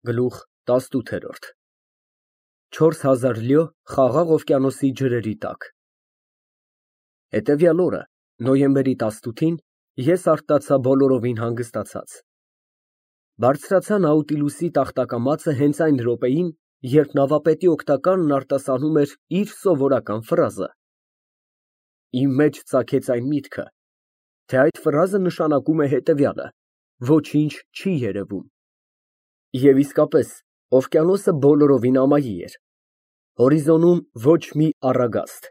Գլուխ 18 4000 լյո Խաղաղ օվկիանոսի ջրերի տակ։ Հետևյալ օրը, նոյեմբերի 18-ին, ես արթնացա բոլորովին հանգստացած։ Բարձրացա Նաուտիլուսի տախտակամածը հենց այն րոպեին, երբ նավապետի օգնականն արտասանում էր իր սովորական ֆրազը։ Իմ մեջ ծագեց այն միտքը, թե այդ ֆրազը նշանակում է հետևյալը. ոչինչ չի երևում։ Եվ իսկապես, օվկիանոսը բոլորովին ամայի էր։ Հորիզոնում ոչ մի առագաստ։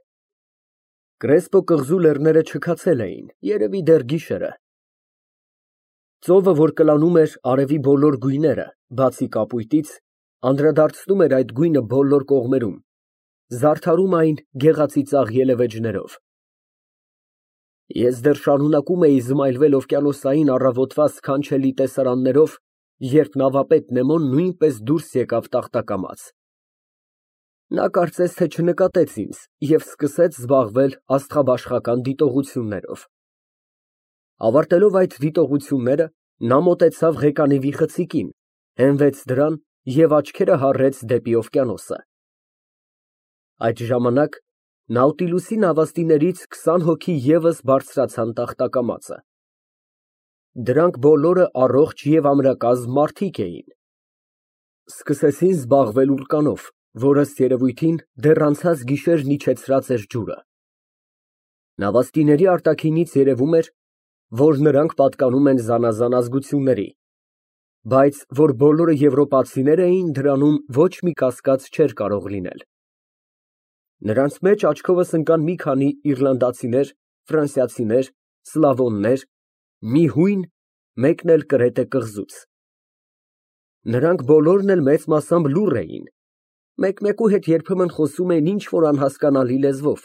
Կրեսպո կղզու լեռները չքացել էին, երևի դեռ գիշեր է։ Ծովը, որ կլանում էր արևի բոլոր գույները, բացի կապույտից, անդրադարձնում էր այդ գույնը բոլոր կողմերում, զարդարում այն գեղեցիկ ծաղ ելևէջներով։ Ես դեռ շարունակում էի զմայլվել օվկիանոսային առավոտվա սքանչելի տեսարաններով, երբ նավապետ Նեմոն նույնպես դուրս եկավ տախտակամաց։ Նա կարծես թե չնկատեց ինձ և սկսեց զբաղվել աստղաբաշխական դիտողություններով։ Ավարտելով այդ դիտողությունները, նա մոտեցավ ղեկանիվի խցիկին, հենվեց դրան և աչքերը հառեց դեպի օվկիանոսը։ Այդ ժամանակ Նաուտիլուսի նավաստիներից 20 հոգի ևս բարձրացան տախտակամածը։ Դրանք բոլորը առողջ և ամրակազմ մարդիկ էին։ Սկսեցին զբաղվել ուռկանով, որ ըստ երևույթին դեռ անցած գիշեր իջեցրած էր ջուրը։ Նավաստիների արտաքինից երևում էր, որ նրանք պատկանում են զանազան ազգությունների, բայց որ բոլորը եվրոպացիներ էին, դրանում ոչ մի կասկած չէր կարող լինել։ Նրանց մեջ աչքովս ընկան մի քանի իռլանդացիներ, ֆրանսիացիներ, սլավոններ, մի հույն, մեկն էլ Կրետե կղզուց։ Նրանք բոլորն էլ մեծ մասամբ լուռ էին, մեկմեկու հետ երբեմն խոսում էին ինչ֊որ անհասկանալի լեզվով,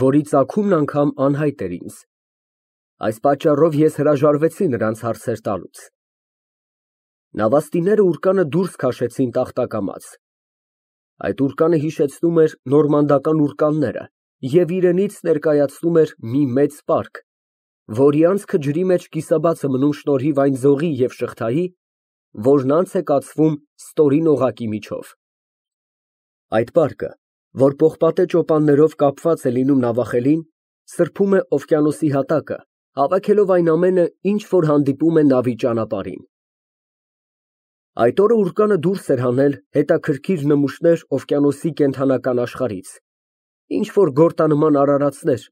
որի ծագումն անգամ անհայտ էր ինձ։ Այս պատճառով ես հրաժարվեցի նրանց հարցեր տալուց։ Նավաստիները ուռկանը դուրս քաշեցին տախտակամաց։ Այդ ուռկանը հիշեցնում էր նորմանդական ուռկանները և իրենից ներկայացնում էր մի մեծ պարկ, որի անցքը ջրի մեջ կիսաբաց է մնում շնորհիվ այն ձողի և շղթայի, որն անց է կացվում ստորին օղակի միջով։ Այդ պարկը, որ պողպատե ճոպաններով կապված է լինում նավախելին, սրբում է օվկիանոսի հատակը, հավաքելով այն ամենը, ինչ որ հանդիպում է նավի ճանապարհին։ Այդ օրը ուռկանը դուրս էր հանել հետաքրքիր նմուշներ օվկիանոսի կենդանական աշխարհից, ինչ֊որ գորտանման արարածներ,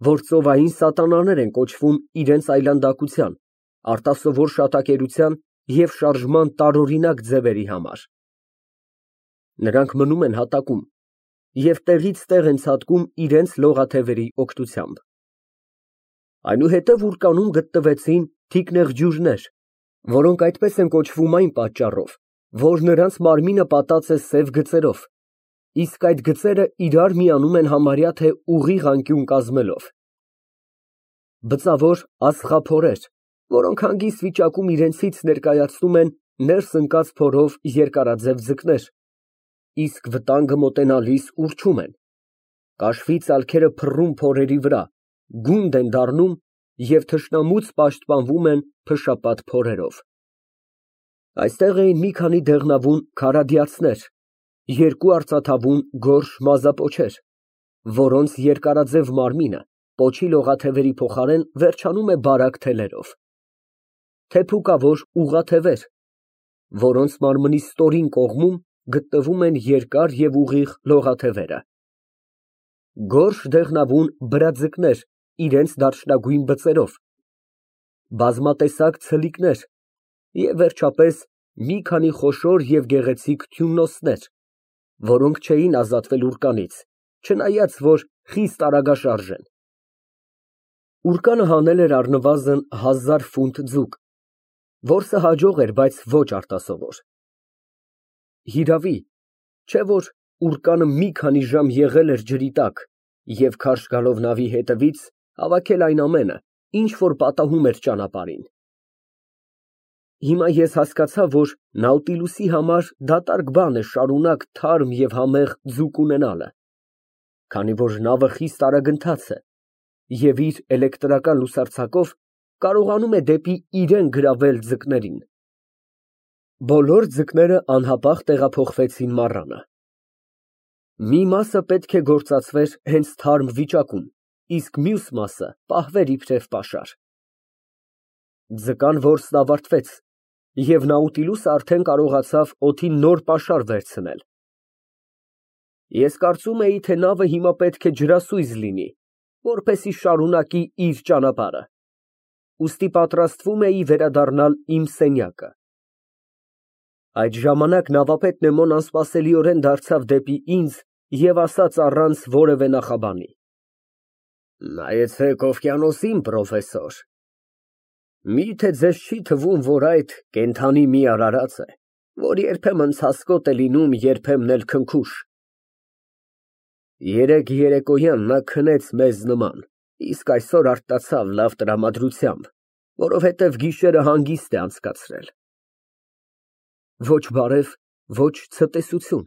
որ ծովային սատանաներ են կոչվում իրենց այլանդակության, արտասովոր շատակերության և շարժման տարօրինակ ձևերի համար։ Նրանք մնում են հատակում և տեղից տեղ են ցատկում իրենց լողաթևերի օգնությամբ։ Այնուհետև ուռկանում գտնվեցին թիկնեղջյուրներ, որոնք այդպես են կոչվում այն պատճառով, որ նրանց մարմինը պատած է սև գծերով, իսկ այդ գծերը իրար միանում են համարյա թե ուղիղ անկյուն կազմելով։ Բծավոր աստղափորեր, որոնք հանգիստ վիճակում իրենցից ներկայացնում են ներս ընկած փորով երկարաձև ձկներ, իսկ վտանգը մոտենալիս ուռչում են, կաշվի ծալքերը փռում փորերի վրա, գունդ են դառնում և թշնամուց պաշտպանվում են փշապատ փորերով։ Այստեղ էին մի քանի դեղնավուն քարադյացներ, երկու արծաթավուն գորշ մազապոչեր, որոնց երկարաձև մարմինը պոչի լողաթևերի փոխարեն վերջանում է բարակ թելերով, թեփուկավոր ուղղաթևեր, որոնց մարմնի ստորին կողմում գտնվում են երկար և ուղիղ լողաթևերը, գորշ դեղնավուն բրաձկներ իրենց դարչնագույն բծերով, բազմատեսակ ցլիկներ և, վերջապես, մի քանի խոշոր և գեղեցիկ թյունոսներ, որոնք չէին ազատվել ուռկանից, չնայած որ խիստ արագաշարժ են։ Ուռկանը հանել էր առնվազն 1000 ֆունտ ձուկ, որսը հաջող էր, բայց ոչ արտասովոր։ Հիրավի, չէ՞ որ ուռկանը մի քանի ժամ եղել էր ջրի տակ և քարշ գալով նավի հետևից, հավաքել այն ամենը, ինչ որ պատահում էր ճանապարհին։ Հիմա ես հասկացա, որ Նաուտիլուսի համար դատարկ բան է շարունակ թարմ և համեղ ձուկ ունենալը, քանի որ նավը խիստ արագընթաց է և իր էլեկտրական լուսարձակով կարողանում է դեպի իրեն գրավել ձկներին։ Բոլոր ձկները անհապաղ տեղափոխվեցին մառանը։ Մի մասը պետք է գործածվեր հենց թարմ վիճակում, իսկ մյուս մասը պահվեր իբրև պաշար։ Ձկան որսն ավարտվեց, և Նաուտիլուսը արդեն կարողացավ օդի նոր պաշար վերցնել։ Ես կարծում էի, թե նավը հիմա պետք է ջրասույզ լինի, որպեսզի շարունակի իր ճանապարհը, ուստի պատրաստվում էի վերադառնալ իմ սենյակը։ Այդ ժամանակ նավապետ Նեմոն անսպասելիորեն դարձավ դեպի ինձ և ասաց առանց որևէ նախաբանի. Նայեցեք օվկիանոսին, պրոֆեսոր։ Միթե ձեզ չի թվում, որ այդ կենդանի մի արարած է, որ երբեմն ցասկոտ է լինում, երբեմն էլ քնքուշ։ Երեկ երեկոյան նա քնեց մեզ նման, իսկ այսօր արթնացավ լավ տրամադրությամբ, որովհետև գիշերը հանգիստ է անցկացրել։ Ոչ բարև, ոչ ցտեսություն,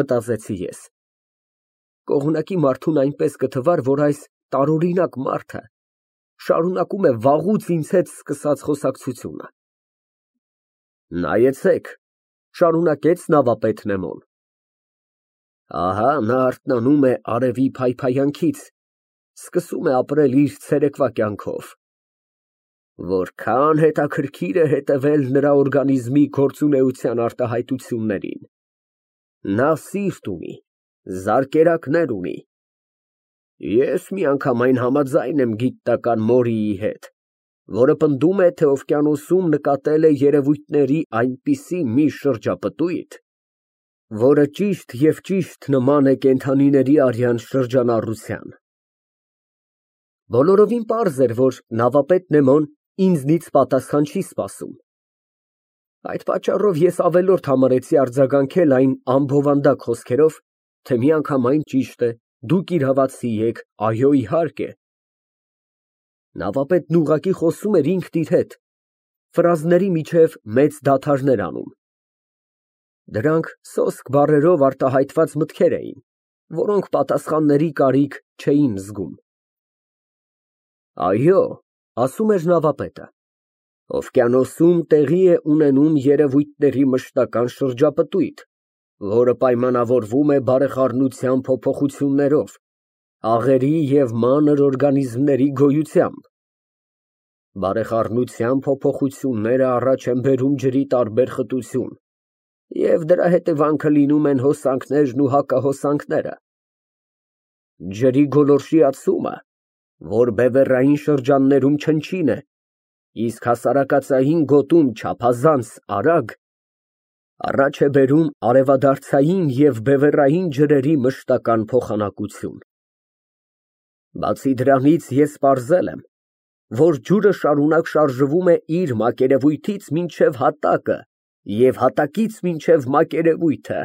մտածեցի ես։ Կողմնակի մարդուն այնպես կթվար, որ այս տարօրինակ մարդը շարունակում է վաղուց ինձ հետ սկսած խոսակցությունը։ Նայեցեք, շարունակեց նավապետ Նեմոն։ Ահա նա արթնանում է արևի փայփայանքից, սկսում է ապրել իր ցերեկվա կյանքով։ Որքան հետաքրքիր է հետևել նրա օրգանիզմի գործունեության արտահայտություններին։ Նա սիրտ ունի, զարկերակներ ունի։ Ես միանգամայն համաձայն եմ գիտնական Մորիի հետ, որը պնդում է, թե օվկիանոսում նկատել է երևույթների այնպիսի մի շրջապտույտ, որը ճիշտ և ճիշտ նման է կենդանիների արյան շրջանառության։ Բոլորովին պարզ էր, որ նավապետ Նեմոն ինձնից պատասխան չի սպասում։ Այդ պատճառով ես ավելորդ համարեցի արձագանքել այն անբովանդակ խոսքերով, թե միանգամայն ճիշտ է, դուք իրավացի եք, այո, իհարկե։ Նավապետն ուղղակի խոսում էր ինքն իր հետ, ֆրազների միջև մեծ դադարներ անում։ Դրանք սոսկ բառերով արտահայտված մտքեր էին, որոնք պատասխանների կարիք չէին զգում։ Այո, ասում էր նավապետը, օվկիանոսում տեղի է ունենում երևույթների մշտական շրջապտույտ, որը պայմանավորվում է բարեխառնության փոփոխություններով, աղերի և մանր օրգանիզմների գոյությամբ։ Բարեխառնության փոփոխությունները առաջ են բերում ջրի տարբեր խտություն, և դրա հետևանքը լինում են հոսանքներն ու հակահոսանքները։ Ջրի գոլորշիացումը, որ բևեռային շրջաններում չնչին է, իսկ հասարակածային գոտում չափազանց արագ, առաջ է բերում արևադարձային և բևեռային ջրերի մշտական փոխանակություն։ Բացի դրանից ես պարզել եմ, որ ջուրը շարունակ շարժվում է իր մակերևույթից մինչև հատակը և հատակից մինչև մակերևույթը,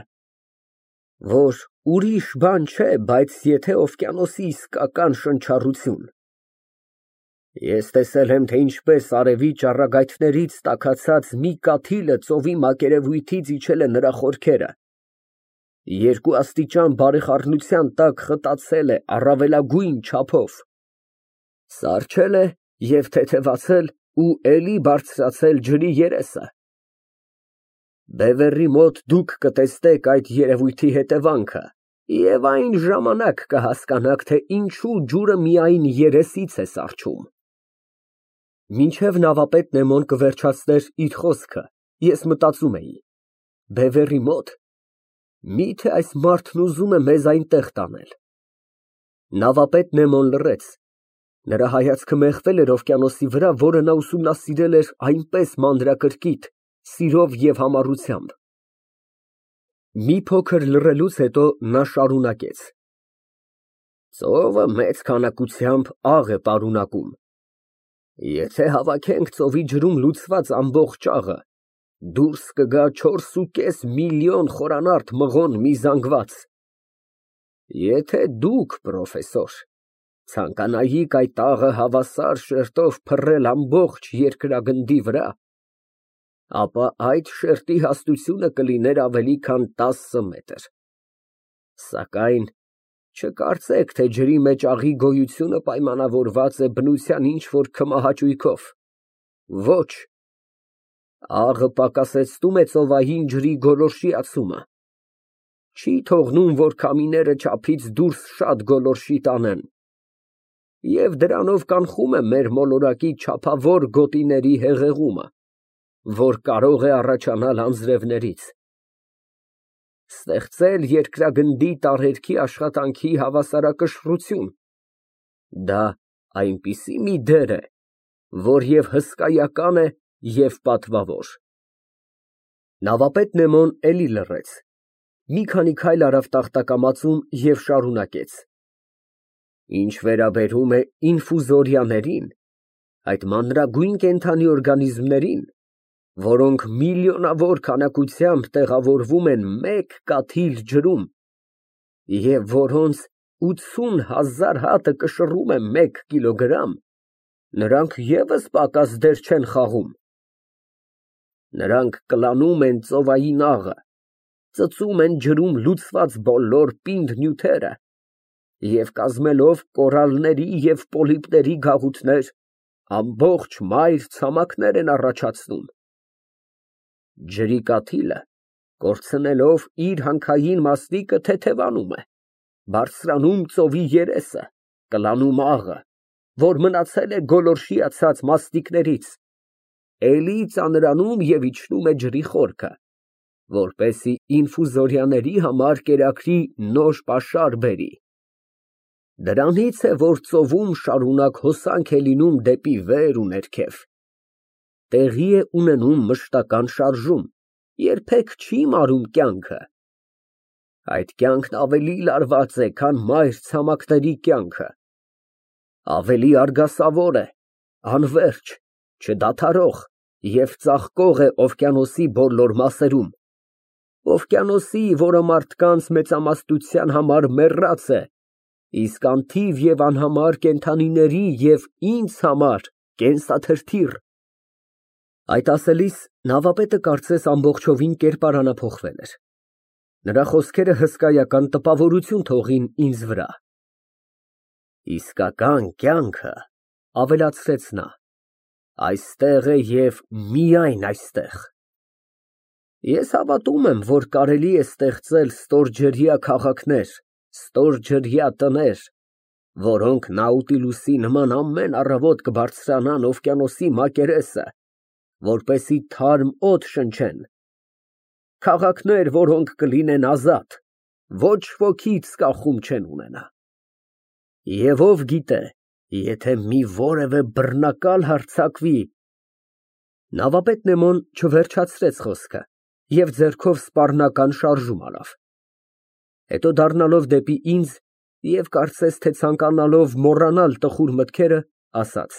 որ ուրիշ բան չէ, բայց եթե օվկիանոսի իսկական շնչառություն։ Ես տեսել եմ, թե ինչպես արևի ճառագայթներից տաքացած մի կաթիլը ծովի մակերևույթից իջել է նրա խորքերը, 2 աստիճան բարեխառնության տակ խտացել է առավելագույն չափով, սառչել է և թեթևացել ու էլի բարձրացել ջրի երեսը։ Բևեռի մոտ դուք կտեսնեք այդ երևույթի հետևանքը և այն ժամանակ կհասկանաք, թե ինչու ջուրը միայն երեսից է սառչում։ Մինչև նավապետ Նեմոն կվերջացներ իր խոսքը, ես մտածում էի. բևեռի մոտ, միթե այս մարդն ուզում է մեզ այնտեղ տանել։ Նավապետ Նեմոն լռեց, նրա հայացքը մեխվել էր օվկիանոսի վրա, որը նա ուսումնասիրել էր այնպես մանրակրկիտ, սիրով և համառությամբ։ Մի փոքր լռելուց հետո նա շարունակեց. Ծովը մեծ քանակությամբ աղ է պարունակում։ Եթե հավաքենք ծովի ջրում լուծված ամբողջ աղը, դուրս կգա 4,5 միլիոն խորանարդ մղոն մի զանգված։ Եթե դուք, պրոֆեսոր, ցանկանայիք այդ աղը հավասար շերտով փռել ամբողջ երկրագնդի վրա, ապա այդ շերտի հաստությունը կլիներ ավելի քան 10 մետր։ Սակայն չկարծեք, թե ջրի մեջ աղի գոյությունը պայմանավորված է բնության ինչ֊որ քմահաճույքով։ Ոչ։ Աղը պակասեցնում է ծովային ջրի գոլորշիացումը, չի թողնում, որ քամիները չափից դուրս շատ գոլորշի տանեն, և դրանով կանխում է մեր մոլորակի չափավոր գոտիների հեղեղումը, որ կարող է առաջանալ անձրևներից։ Ստեղծել երկրագնդի տարերքի աշխատանքի հավասարակշռություն, դա այնպիսի մի դեր է, որ և հսկայական է, և պատվավոր։ Նավապետ Նեմոն էլի լռեց, մի քանի քայլ արավ տախտակամածում և շարունակեց. Ինչ վերաբերում է ինֆուզորիաներին, այդ մանրագույն կենդանի օրգանիզմներին, որոնք միլիոնավոր քանակությամբ տեղավորվում են մեկ կաթիլ ջրում և որոնց 80,000 հատը կշռում է 1 կիլոգրամ, նրանք ևս պակաս դեր չեն խաղում։ Նրանք կլանում են ծովային աղը, ծծում են ջրում լուծված բոլոր պինդ նյութերը և կազմելով կորալների և պոլիպների գաղութներ, ամբողջ մայր ցամաքներ են առաջացնում։ Ջրի կաթիլը, կորցնելով իր հանքային մասնիկը, թեթևանում է, բարձրանում ծովի երեսը, կլանում աղը, որ մնացել է գոլորշիացած մասնիկներից, էլի ծանրանում և իջնում է ջրի խորքը, որպեսզի ինֆուզորիաների համար կերակրի նոր պաշար բերի։ Դրանից է, որ ծովում շարունակ հոսանք է լինում դեպի վեր ու ներքև, տեղի է ունենում մշտական շարժում, երբեք չի մարում կյանքը։ Այդ կյանքն ավելի լարված է, քան մայր ցամաքների կյանքը, ավելի արգասավոր է, անվերջ, չդադարող և ծաղկող է օվկիանոսի բոլոր մասերում, օվկիանոսի, որը մարդկանց մեծամասնության համար մեռած է, իսկ անթիվ և անհամար կենդանիների և ինձ համար կենսաթրթիռ։ Այդ ասելիս նավապետը կարծես ամբողջովին կերպարանափոխվել էր, նրա խոսքերը հսկայական տպավորություն թողին ինձ վրա։ Իսկական կյանքը, ավելացրեց նա, այստեղ է և միայն այստեղ։ Ես հավատում եմ, որ կարելի է ստեղծել ստորջրյա քաղաքներ, ստորջրյա տներ, որոնք Նաուտիլուսի նման ամեն առավոտ կբարձրանան օվկիանոսի մակերեսը, որպեսզի թարմ օդ շնչեն, քաղաքներ, որոնք կլինեն ազատ, ոչ wokից կախում չեն ունենա։ Եվ ով գիտե, եթե մի որևէ բռնակալ հարձակվի… Նավապետ Նեմոն չվերջացրեց խոսքը և ձեռքով սպառնական շարժում արավ, հետո դառնալով դեպի ինձ և կարծես թե ցանկանալով մոռանալ տխուր մտքերը, ասաց.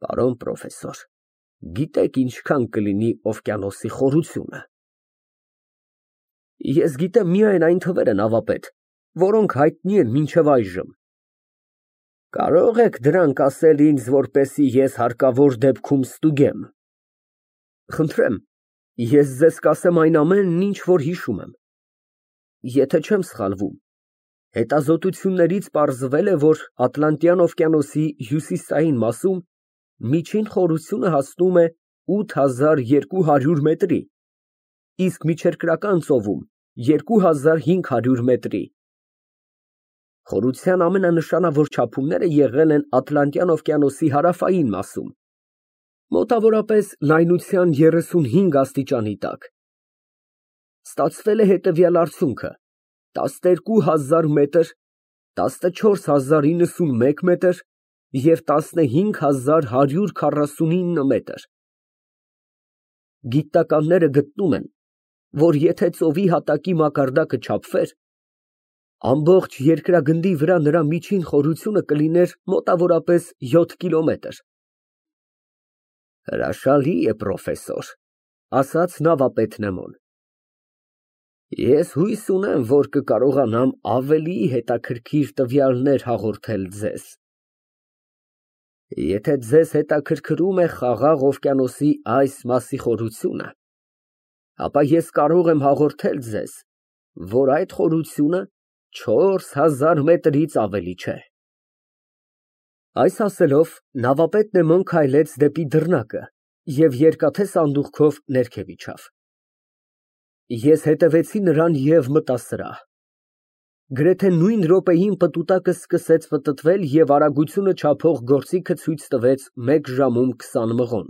Պարոն պրոֆեսոր, գիտեք ինչքան կլինի օվկիանոսի խորությունը։ Ես գիտեմ միայն այն թվերը, նավապետ, որոնք հայտնի են մինչև այժմ։ Կարող եք դրանք ասել ինձ, որպեսզի ես հարկավոր դեպքում ստուգեմ։ Խնդրեմ, ես ձեզ կասեմ այն ամենն, ինչ որ հիշում եմ։ Եթե չեմ սխալվում, հետազոտություններից պարզվել է, որ Ատլանտյան օվկիանոսի հյուսիսային մասում միջին խորությունը հասնում է 8200 մետրի, իսկ միջերկրական ծովում 2500 մետրի։ Խորության ամենանշանավոր չափումները եղել են Ատլանտյան օվկիանոսի հարավային մասում, մոտավորապես լայնության 35 աստիճանի տակ։ Ստացվել է հետևյալ արդյունքը. 12000 մետր, 14091 մետր և 15149 մետր։ Գիտնականները գտնում են, որ եթե ծովի հատակի մակարդակը չափվեր, ամբողջ երկրագնդի վրա նրա միջին խորությունը կլիներ մոտավորապես 7 կիլոմետր։ Հրաշալի է, պրոֆեսոր, ասաց նավապետ Նեմոն։ Ես հույս ունեմ, որ կկարողանամ ավելի հետաքրքիր տվյալներ հաղորդել ձեզ։ Եթե ձեզ հետաքրքրում է Խաղաղ օվկիանոսի այս մասի խորությունը, ապա ես կարող եմ հաղորդել ձեզ, որ այդ խորությունը 4000 մետրից ավելի չէ։ Այս ասելով նավապետ Նեմոն քայլեց դեպի դռնակը Եվ երկաթե սանդուղքով ներքև իջավ։ Ես հետևեցի նրան և մտա սրահ։ Գրեթե նույն րոպեին պտուտակը սկսեց պտտվել և արագությունը չափող գործիքը ցույց տվեց 1 ժամում 20 մղոն։